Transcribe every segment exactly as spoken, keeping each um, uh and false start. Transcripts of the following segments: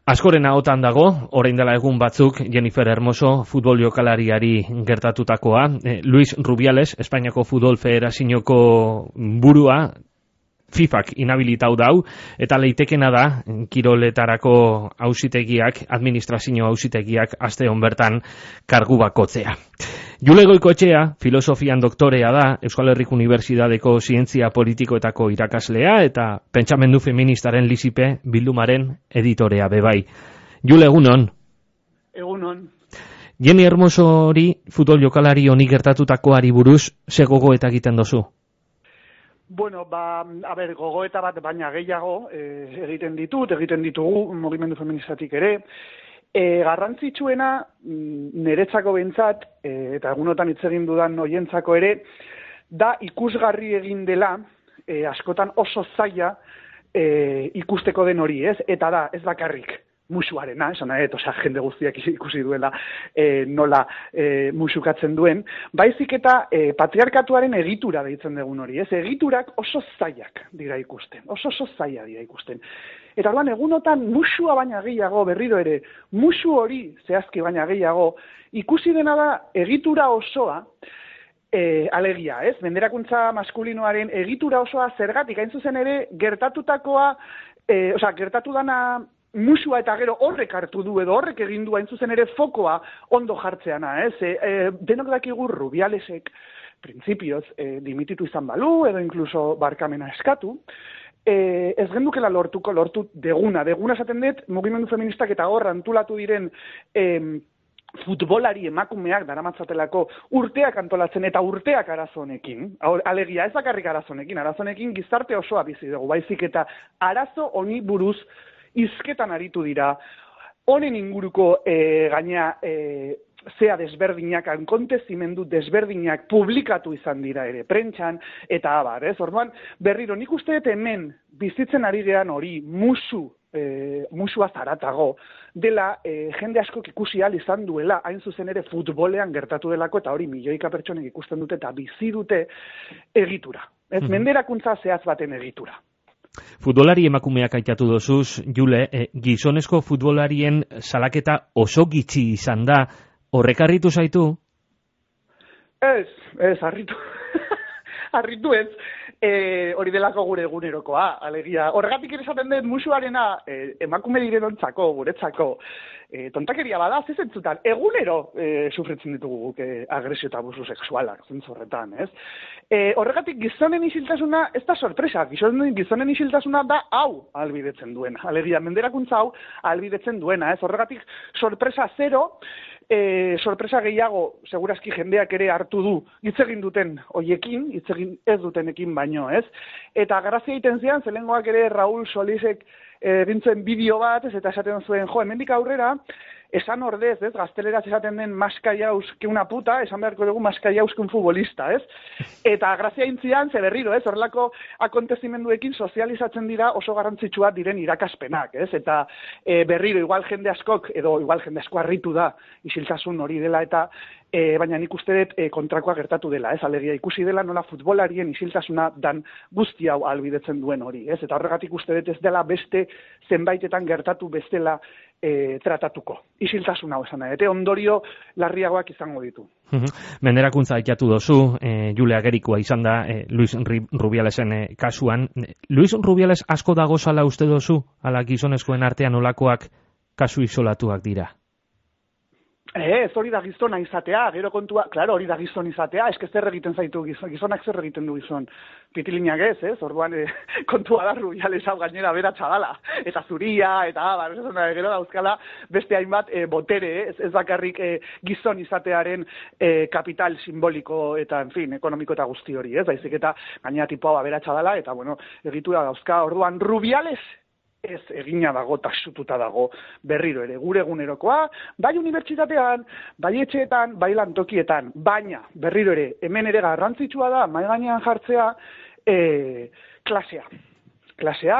Askoren ahotan dago, orain dela egun batzuk, Jennifer Hermoso futbol jokalariari gertatutakoa. Eh, Luis Rubiales, Espainiako Futbol Federazioko burua, FIFAk inhabilitau dau, eta leitekena da, kiroletarako auzitegiak, administrazio auzitegiak, aste hon bertan kargu bakotzea. Jule Goikoetxea, filosofian doktorea da, Euskal Herriko Unibertsitateko zientzia politikoetako irakaslea, eta pentsamendu feministaren lizipe bildumaren editorea bebai. Jule, egunon? Egunon. Jenni Hermosori, futbol jokalari honi gertatutakoari buruz, ze gogoeta egiten dozu? Bueno, ba, a ber, gogoeta bat baina gehiago eh, egiten ditut, egiten ditugu mugimendu feministatik ere. E, garrantzitsuena, niretzako behintzat, e, eta egunotan hitz egin dudan oientzako ere, da ikusgarri egin dela, e, askotan oso zaila e, ikusteko den hori, ez? Eta da, ez bakarrik musuarena, esan nahi, osea, jende guztiak ikusi duela e, nola e, musukatzen duen, baizik eta e, patriarkatuaren egitura deitzen dugun hori, ez? Egiturak oso zailak dira ikusten, oso oso zaila dira ikusten. Eta orduan egunotan musua baina gehiago, berriro ere, musu hori zehazki baina gehiago, ikusi dena da egitura osoa, e, alegia, ez? Menderakuntza maskulinoaren egitura osoa zergatik, hain zuzen ere, gertatutakoa, e, osea, gertatu dana musua eta gero horrek hartu du edo horrek egin du hain zuzen ere fokoa ondo jartzeana, ez? E, e, denok dakigu Rubialesek printzipioz e, dimititu izan balu edo inkluso barkamena eskatu, e, ez gendukela lortuko lortu deguna. Deguna esaten dut mugimendu feministak eta hor antolatu diren e, futbolari emakumeak daramatzatelako urteak antolatzen eta urteak arazonekin, alegia ez bakarrik arazonekin, arazonekin gizarte osoa bizi dugu, baizik eta arazo honi buruz hizketan aritu dira, honen inguruko e, gaina e, zea desberdinak, akontezimendu desberdinak publikatu izan dira ere, prentxan, eta abar, ez? Orduan, berriro, nik uste dut hemen bizitzen ari gean hori, musu, e, musua zaratago, dela e, jende askok ikusi ahal izan duela, hain zuzen ere futbolean gertatu delako, eta hori milioika pertsonek ikusten dute, eta bizi dute egitura. Ez, mm-hmm. Menderakuntza zehaz baten egitura. Futbolari emakumeak aitatu dozuz, Jule, eh, gizonezko futbolarien salaketa oso gitxi izan da, horrek harritu zaitu? Ez, ez, harritu. Harritu ez, e, hori delako gure egunerokoa, alegia. Horregatik ere esaten dut musuarena e, emakume direnontzako, guretzako, e, tontakeria bada, zezentzutan, egunero e, sufritzen ditugu guk e, agresio eta abusu sexualak, zentzorretan, ez? E, horregatik gizonen isiltasuna, ez da sorpresa, gizonen, gizonen isiltasuna da hau albidetzen duena, alegia, menderakuntza hau albidetzen duena, ez? Horregatik sorpresa zero, E, sorpresa gehiago, segurazki jendeak ere hartu du, hitz egin duten hoiekin, hitz egin ez dutenekin baino, ez? Eta grazia egiten zian, zelengoak ere Raúl Solisek egintzen bideo bat, ez, eta esaten zuen, jo, hemendik aurrera, esan ordez, ez, gazteleraz esaten den maskaiauz que una puta, esan beharko dugu maskaiauz que un futbolista, ez? Eta grazia intzian, ze berriro, ez, horrelako akontezimenduekin sozializatzen dira oso garrantzitsua diren irakaspenak, ez? Eta e, berriro, igual jende askok, edo igual jende asko harritu da, isiltasun hori dela, eta e, baina nik uste dut e, kontrakoa gertatu dela, ez? Alegia ikusi dela nola futbolarien isiltasuna dan guzti hau albidetzen duen hori, ez? Eta horregatik uste dut ez dela beste zenbaitetan gertatu bestela E, tratatuko. Isiltasun hau esan nahi, eta ondorio larriagoak izango ditu. Menderakuntza aitatu dozu, e, Jule agerikoa izan da e, Luis Rubialesen e, kasuan. Luis Rubiales asko dago zala uste dozu, ala gizonezkoen artean olakoak kasu isolatuak dira? Ez, hori da gizona izatea, gero kontua, klaro, hori da gizon izatea, eske zer egiten zaitu gizon, gizonak zer egiten du gizon, pitilinak ez, ez, orduan e, kontua da Rubiales hau gainera beratxa dala, eta zuria, eta abar, gero dauzkala beste hainbat e, botere, ez, ez bakarrik e, gizon izatearen e, kapital simboliko eta, en fin, ekonomiko eta guzti hori, ez, baizik eta gainera tipoa beratxa dala, eta, bueno, egitura dauzka, orduan Rubiales ez egina dago, tasututa dago, berriro ere, gure egunerokoa, bai unibertsitatean, bai etxeetan, bai lantokietan, baina, berriro ere, hemen ere garrantzitsua da, mahai gainean jartzea, e, klasea. Klasea,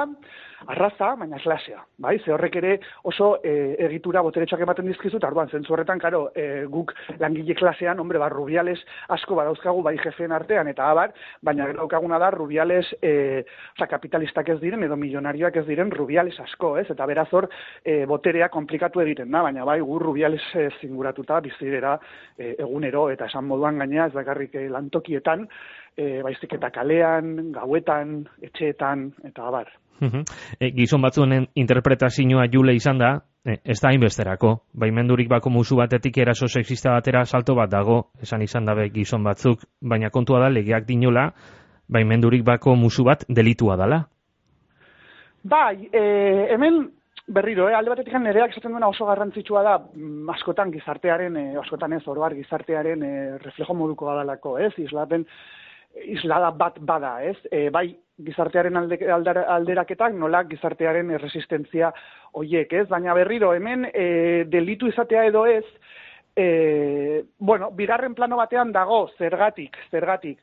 arraza, baina klasea, bai? Ze horrek ere oso e, egitura boteretxoak ematen dizkizu, eta orduan, zentzu horretan, karo, e, guk langile klasean, hombre, ba, Rubiales asko badauzkagu bai jefeen artean, eta abar, baina gero daukaguna da Rubiales, e, oza, kapitalistak ez diren, edo milionarioak ez diren Rubiales asko, ez? Eta beraz hor, e, boterea komplikatu egiten da, baina bai, gu Rubiales e, zinguratuta bizirera e, egunero, eta esan moduan gainea, ez bakarrik e, lantokietan, e, baizik eta kalean, gauetan, etxeetan, eta abar. E, gizon batzuen interpretazioa jule izan da, e, ez da hainbesterako. Baimendurik bako musu batetik eraso sexista batera salto bat dago, esan izan dabe gizon batzuk, baina kontua da legeak dinola, baimendurik bako musu bat delitua dala. Bai, e, hemen berriro, eh, alde batetik nereak esaten duena oso garrantzitsua da, mm, askotan gizartearen, e, askotan ez oroar gizartearen e, reflejo moduko badalako, ez? Islaten islada bat bada, ez? E, bai, gizartearen alde, aldar, alderaketak nola gizartearen resistentzia hoiek, ez? Baina berriro, hemen e, delitu izatea edo ez, e, bueno, bigarren plano batean dago, zergatik, zergatik.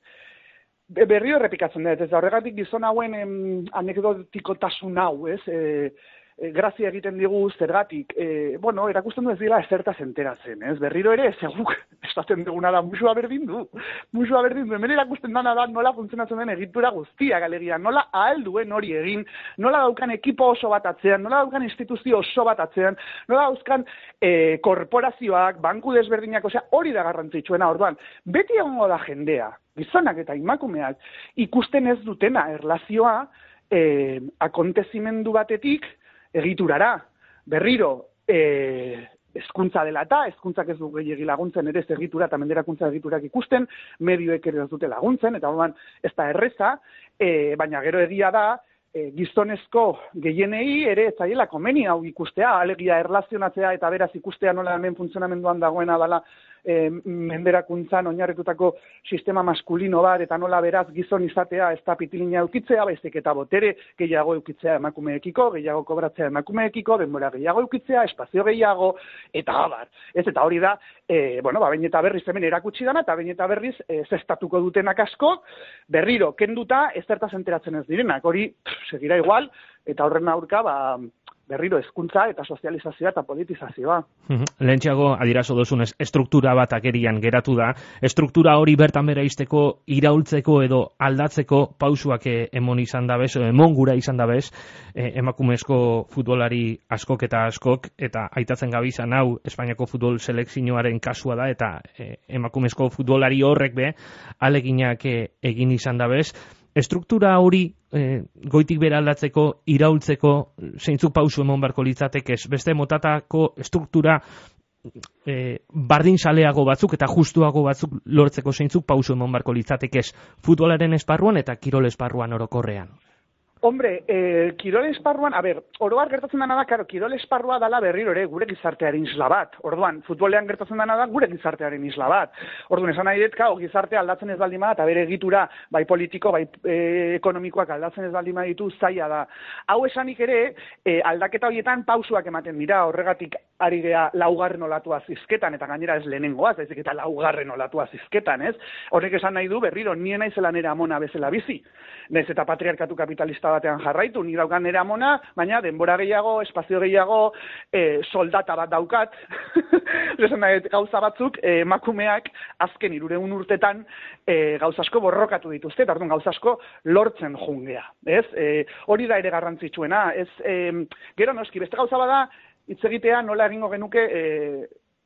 Berriro errepikatzen dut, ez da horregatik gizon hauen em, anekdotikotasun hau, ez? E, e, grazia egiten digu zergatik. E, bueno, erakusten du ez dira ezertaz enteratzen, ez? Berriro ere, zeguk, esaten duguna da, musua berdin du. Musua berdin du. Hemen erakusten dana da nola funtzionatzen den egitura guztia galegia, nola ahal duen hori egin, nola daukan ekipo oso bat atzean, nola daukan instituzio oso bat atzean, nola dauzkan e, korporazioak, banku desberdinak, osea, hori da garrantzitsuena, orduan. Beti egongo da jendea, gizonak eta emakumeak, ikusten ez dutena erlazioa e, akontezimendu batetik egiturara. Berriro, e, hezkuntza dela eta, hezkuntzak ez du gehiegi laguntzen ere ez egitura eta menderakuntza egiturak ikusten, medioek ere ez dute laguntzen, eta orduan ez da erreza, e, baina gero egia da, e, gizonezko gehienei ere ez zaiela komeni hau ikustea, alegia erlazionatzea eta beraz ikustea nola hemen funtzionamenduan dagoena dela e, menderakuntzan oinarritutako sistema maskulino bat, eta nola beraz gizon izatea ez da pitilina eukitzea, baizik eta botere gehiago eukitzea emakumeekiko, gehiago kobratzea emakumeekiko, denbora gehiago eukitzea, espazio gehiago, eta abar. Ez, eta hori da, e, bueno, ba, behin eta berriz hemen erakutsi dana, eta behin eta berriz e, zestatuko dutenak asko, berriro, kenduta ez zertaz enteratzen ez direnak, hori pff, segira igual, eta horren aurka, ba, berriro hezkuntza eta sozializazioa eta politizazioa. Lehentxeago adirazo dozunez, estruktura bat agerian geratu da. Estruktura hori bertan bera izteko, iraultzeko edo aldatzeko pausuak emon izan dabez, emon gura izan dabez, eh, emakumezko futbolari askok eta askok, eta aitatzen gabizan hau Espainiako futbol selekzioaren kasua da, eta eh, emakumezko futbolari horrek be, aleginak eh, egin izan dabez. Estruktura hori e, goitik bera aldatzeko, iraultzeko, zeintzuk pausu emon barko litzatekez, beste motatako estruktura e, bardin saleago batzuk eta justuago batzuk lortzeko zeintzuk pausu emon barko litzatekez, futbolaren esparruan eta kirol esparruan orokorrean. Hombre, eh, kirol esparruan, a ber, oroar gertatzen dena da, karo, kirol esparrua dala berriro ere gure gizartearen isla bat. Orduan, futbolean gertatzen dena da gure gizartearen isla bat. Orduan, esan nahi dut, kao, gizartea aldatzen ez baldin bada, eta bere egitura, bai politiko, bai e, ekonomikoak aldatzen ez baldin baditu, zaila da. Hau esanik ere, e, aldaketa horietan pausuak ematen dira, horregatik ari gea laugarren olatua zizketan, eta gainera ez lehenengoaz, ezik eta laugarren olatua zizketan, ez? Horrek esan nahi du, berriro, nien naizela nera amona bezala bizi. Naiz eta patriarkatu kapitalista batean jarraitu, ni daukan nera amona, baina denbora gehiago, espazio gehiago, e, soldata bat daukat. Esan nahi, gauza batzuk, e, emakumeak azken hirureun urtetan e, gauza asko borrokatu dituzte, eta orduan gauza asko lortzen jungea, ez? E, hori da ere garrantzitsuena, ez? E, gero noski, beste gauza bada, hitz egitea nola egingo genuke, e,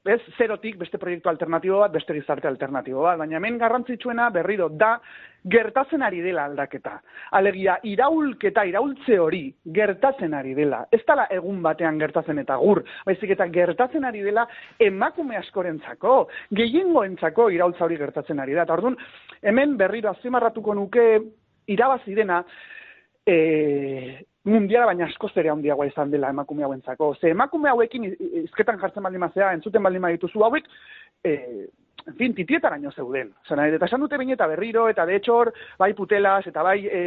ez, zerotik beste proiektu alternatibo bat, beste gizarte alternatibo bat, baina hemen garrantzitsuena berriro da gertatzen ari dela aldaketa. Alegia, iraulketa, iraultze hori gertatzen ari dela. Ez dela egun batean gertatzen eta gur, baizik eta gertatzen ari dela emakume askorentzako, gehiengoentzako iraultza hori gertatzen ari da. Eta orduan, hemen berriro azpimarratuko nuke irabazi dena, e, mundiala baina askoz ere handiagoa izan dela emakume hauentzako. Ze emakume hauekin izketan jartzen baldin mazea, entzuten baldin badituzu hauek, e, en fin, titietaraino zeuden. Zena, eta esan dute behin eta berriro, eta de hecho, bai putelas, eta bai e,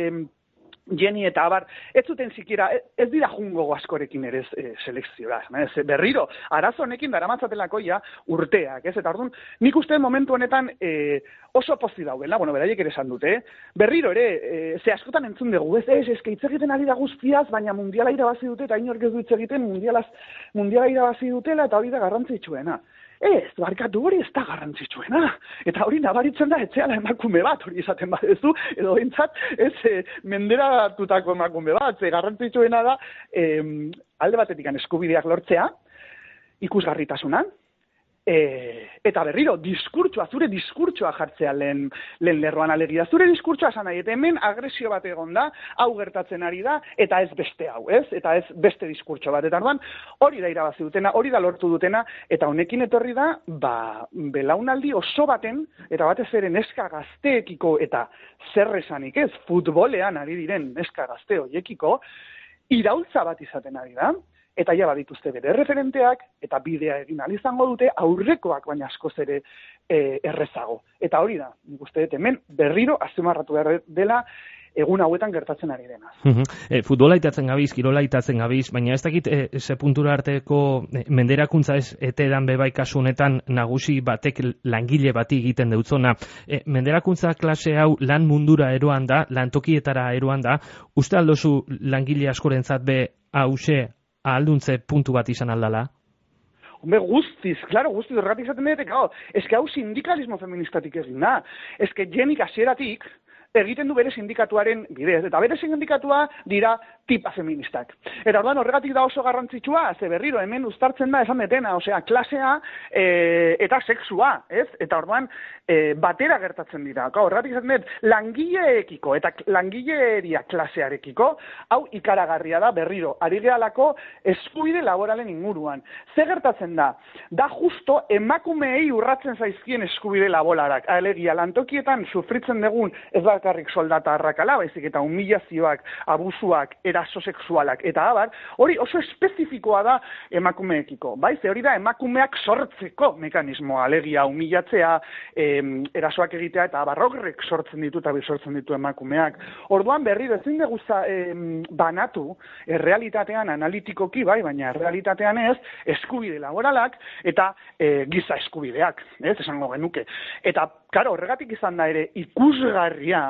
Jenny eta abar, ez zuten zikira, ez dira jungo askorekin ere e, selekzioa. Ez, berriro, arazo honekin daramatzatelako ja urteak, ez? Eta orduan, nik uste momentu honetan e, oso pozi daudela, bueno, beraiek ere esan dute, berriro ere, e, ze askotan entzun dugu, ez, ez, ez, hitz egiten ari da guztiaz, baina mundiala irabazi dute, eta inork ez du hitz egiten mundialaz, mundiala irabazi dutela, eta hori da garrantzitsuena. Ez, barkatu hori ez da garrantzitsuena. Eta hori nabaritzen da etxeala emakume bat, hori esaten badezu, edo bintzat, ez, e, menderatutako emakume bat, ze garrantzitsuena da, e, alde batetik eskubideak lortzea, ikusgarritasunan, e, eta berriro, diskurtsoa, zure diskurtsoa jartzea lehen, lehen lerroan alegia. Zure diskurtsoa esan nahi, eta hemen agresio bat egon da, hau gertatzen ari da, eta ez beste hau, ez? Eta ez beste diskurtso bat. Eta orduan, hori da irabazi dutena, hori da lortu dutena, eta honekin etorri da, ba, belaunaldi oso baten, eta batez ere neska gazteekiko, eta zer esanik ez, futbolean ari diren neska gazte hoiekiko, iraultza bat izaten ari da, eta ja badituzte bere referenteak, eta bidea egin ahal izango dute, aurrekoak baina askoz ere e, errezago. Eta hori da, nik uste dut hemen berriro azpimarratu behar dela egun hauetan gertatzen ari dena. Uh-huh. e, futbola itatzen gabiz, kirola itatzen gabiz, baina ez dakit e, ze puntura arteko e, menderakuntza ez etedan bebai kasu honetan nagusi batek langile bati egiten deutzona. E, menderakuntza klase hau lan mundura eroan da, lantokietara eroan da, uste aldozu langile askorentzat be hause alduntze puntu bat izan aldala? Hombre, guztiz, claro, guztiz, erratik zaten dut, claro, eske hau sindikalismo feministatik egin da. Eske Jenik hasieratik egiten du bere sindikatuaren bidez, eta bere sindikatua dira tipa feministak. Eta orduan horregatik da oso garrantzitsua, ze berriro hemen uztartzen da esan detena, osea, klasea e, eta sexua, ez? Eta orduan e, batera gertatzen dira. Horregatik esan dut, langileekiko eta langileria klasearekiko, hau ikaragarria da berriro, ari gehalako eskubide laboralen inguruan. Ze gertatzen da? Da justo emakumeei urratzen zaizkien eskubide laboralak. Alegia, lantokietan sufritzen dugun ez bakarrik soldata arrakala, baizik eta humilazioak, abusuak, eraso sexualak, eta abar, hori oso espezifikoa da emakumeekiko, bai? Ze hori da emakumeak sortzeko mekanismoa, alegia, humilatzea, em, erasoak egitea, eta abarrogrek sortzen ditu, eta sortzen ditu emakumeak. Orduan berriro ezin dugu em, banatu, errealitatean analitikoki, bai, baina errealitatean ez, eskubide laboralak, eta e, giza eskubideak, ez, esango genuke. Eta, karo, horregatik izan da ere, ikusgarria,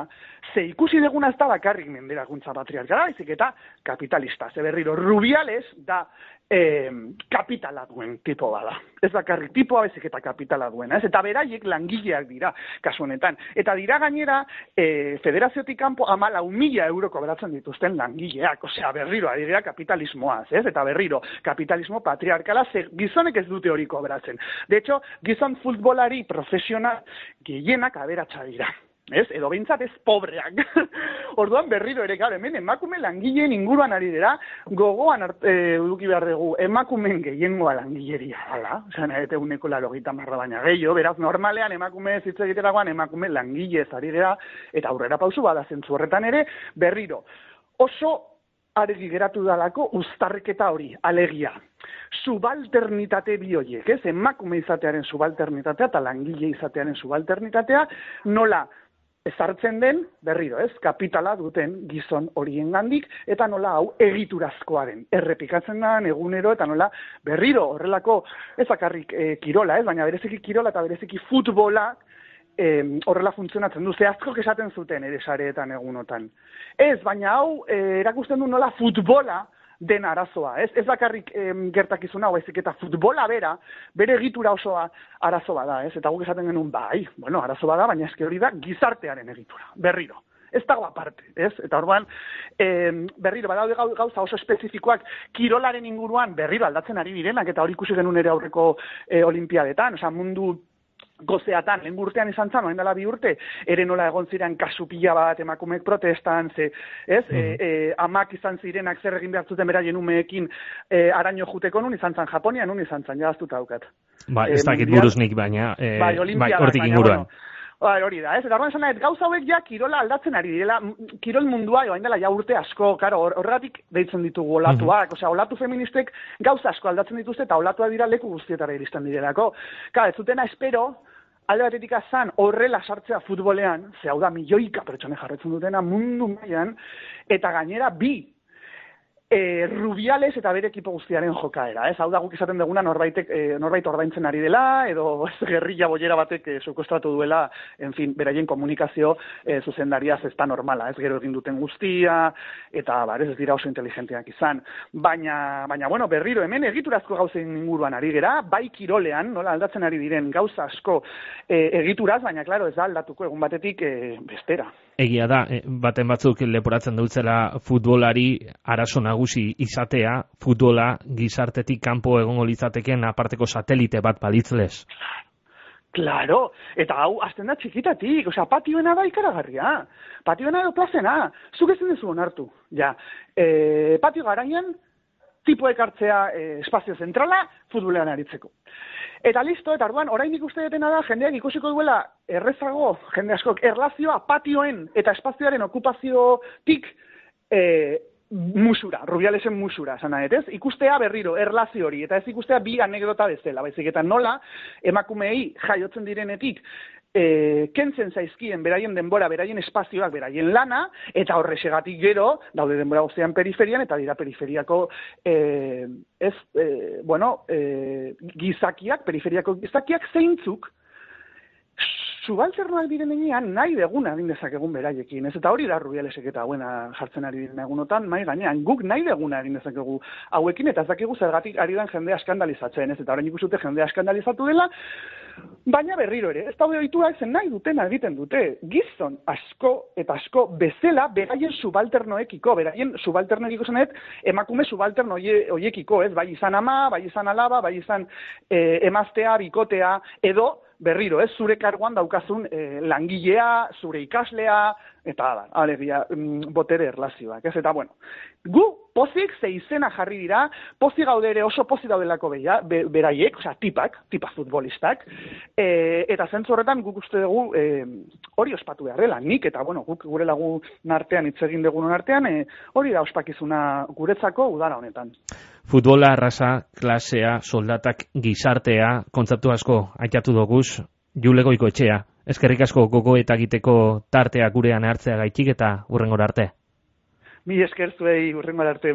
ze ikusi deguna ez da bakarrik menderakuntza patriarkala, baizik eta kapitalista. Ze berriro, Rubiales da eh, kapitala duen tipo bada. Ez bakarrik tipoa baizik eta kapitala duena. Ez? Eta beraiek langileak dira, kasu honetan. Eta dira gainera, eh, federaziotik kanpo amala mila euroko beratzen dituzten langileak. Osea, berriro, ari dira kapitalismoaz, ez? Eta berriro, kapitalismo patriarkala, ze gizonek ez dute hori kobratzen. De hecho, gizon futbolari profesional gehienak aberatsa dira. Ez, edo behintzat ez pobreak. Orduan berriro ere, gara, hemen emakume langileen inguruan ari dira, gogoan arte, eduki behar dugu, emakumeen gehiengoa langileria, hala, osean, eta uneko laro gita marra baina gehiago, beraz, normalean emakume zitze egiteragoan, emakume langile ez ari dira, eta aurrera pausu bada zentzu horretan ere, berriro, oso argi geratu dalako uztarriketa hori, alegia. Subalternitate bi horiek, ez? Emakume izatearen subalternitatea eta langile izatearen subalternitatea, nola ezartzen den, berriro, ez, kapitala duten gizon horiengandik, eta nola hau egiturazkoaren. Errepikatzen da, egunero, eta nola berriro horrelako, ez bakarrik e, kirola, ez, baina bereziki kirola eta bereziki futbola, e, horrela funtzionatzen du, ze asko esaten zuten ere sareetan egunotan. Ez, baina hau e, erakusten du nola futbola den arazoa, ez? Ez bakarrik em, gertakizuna, baizik eta futbola bera, bere egitura osoa arazoa da, ez? Eta guk esaten genuen, bai, bueno, arazoa da, baina eske hori da gizartearen egitura, berriro. Ez dago aparte, ez? Eta orduan, em, berriro, badaude gauza oso espezifikoak kirolaren inguruan berriro aldatzen ari direnak, eta hori ikusi genuen ere aurreko e, olimpiadetan, osea, mundu gozeatan, lehen urtean izan zan, oen dela bi urte, ere nola egon ziren kasu pila bat emakumeek protestan, ze, ez, mm. e, e, amak izan zirenak zer egin behar zuten beraien umeekin e, araño juteko nun izan zan Japonia, nun izan zan, jaztuta daukat. Ba, ez dakit e, buruznik, baina, e, bai, bai, hortik inguruan. Bueno, Bai, hori da, ez? Eta horren esan gauza hauek ja kirola aldatzen ari direla, kirol mundua joan dela ja urte asko, karo, horregatik deitzen ditugu olatuak, mm-hmm. Osea, olatu feministek gauza asko aldatzen dituzte eta olatua dira leku guztietara iristen direlako. Ka, ez zutena espero, alde batetik azan horrela sartzea futbolean, ze hau da milioika pertsone jarretzen dutena mundu mailan, eta gainera bi, E, Rubiales eta bere ekipo guztiaren jokaera, ez? Hau da guk esaten duguna norbaitek, e, norbait ordaintzen ari dela, edo ez, gerrilla bollera batek e, sukostratu duela, en fin, beraien komunikazio e, zuzendariaz ez da normala, ez gero egin duten guztia, eta bar, ez dira oso inteligenteak izan. Baina, baina bueno, berriro hemen egiturazko gauzen inguruan ari gera, bai kirolean, nola aldatzen ari diren gauza asko e, egituraz, baina klaro ez da aldatuko egun batetik e, bestera. Egia da, baten batzuk leporatzen dutzela futbolari arazo nagusi izatea, futbola gizartetik kanpo egongo litzateken aparteko satelite bat balitzlez. Claro, eta hau azten da txikitatik, osea, patioena da ikaragarria, patioena da plazena, zuk ezin duzu onartu, ja, e, patio garaian, tipoek hartzea e, espazio zentrala, futbolean aritzeko. Eta listo, eta orduan, oraindik uste detena da, jendeak ikusiko duela errezago, jende askok, erlazioa patioen eta espazioaren okupaziotik e, musura, Rubialesen musura, sana ez? Ikustea berriro, erlazio hori, eta ez ikustea bi anekdota bezala, baizik eta nola, emakumeei jaiotzen direnetik, E, kentzen zaizkien beraien denbora, beraien espazioak, beraien lana, eta horrexegatik gero, daude denbora guztian periferian, eta dira periferiako e, ez, e, bueno, e, gizakiak, periferiako gizakiak zeintzuk, subalternoak diren enean nahi deguna egin dezakegun beraiekin, ez? Eta hori da Rubialesek eta hauena jartzen ari diren egunotan, mai gainean, guk nahi deguna egin dezakegu hauekin, eta ez dakigu zergatik ari den jendea eskandalizatzen, ez? Eta orain ikusute jendea eskandalizatu dela, baina berriro ere, ez daude ohituak zen nahi dutena egiten dute, gizon asko eta asko bezala beraien subalternoekiko, beraien subalternoekiko zenet, emakume subalterno hoiekiko, ez? Bai izan ama, bai izan alaba, bai izan e, emaztea, bikotea, edo berriro, ez, zure karguan daukazun e, langilea, zure ikaslea, eta da, alegia, mm, botere erlazioak, ez, eta bueno, gu pozik ze izena jarri dira, pozik gaude ere oso pozik daudelako beia, be, beraiek, osea, tipak, tipa futbolistak, e, eta zentzu horretan guk uste dugu e, hori ospatu behar dela, nik, eta bueno, guk gure lagun artean, hitz egin dugun artean, e, hori da ospakizuna guretzako udara honetan. Futbola, arrasa, klasea, soldatak, gizartea, kontzeptu asko aitatu doguz, Jule Goikoetxea. Eskerrik asko gogo eta egiteko tartea gurean hartzea gaitik eta hurrengora arte. Mi esker zuei hurrengora arte.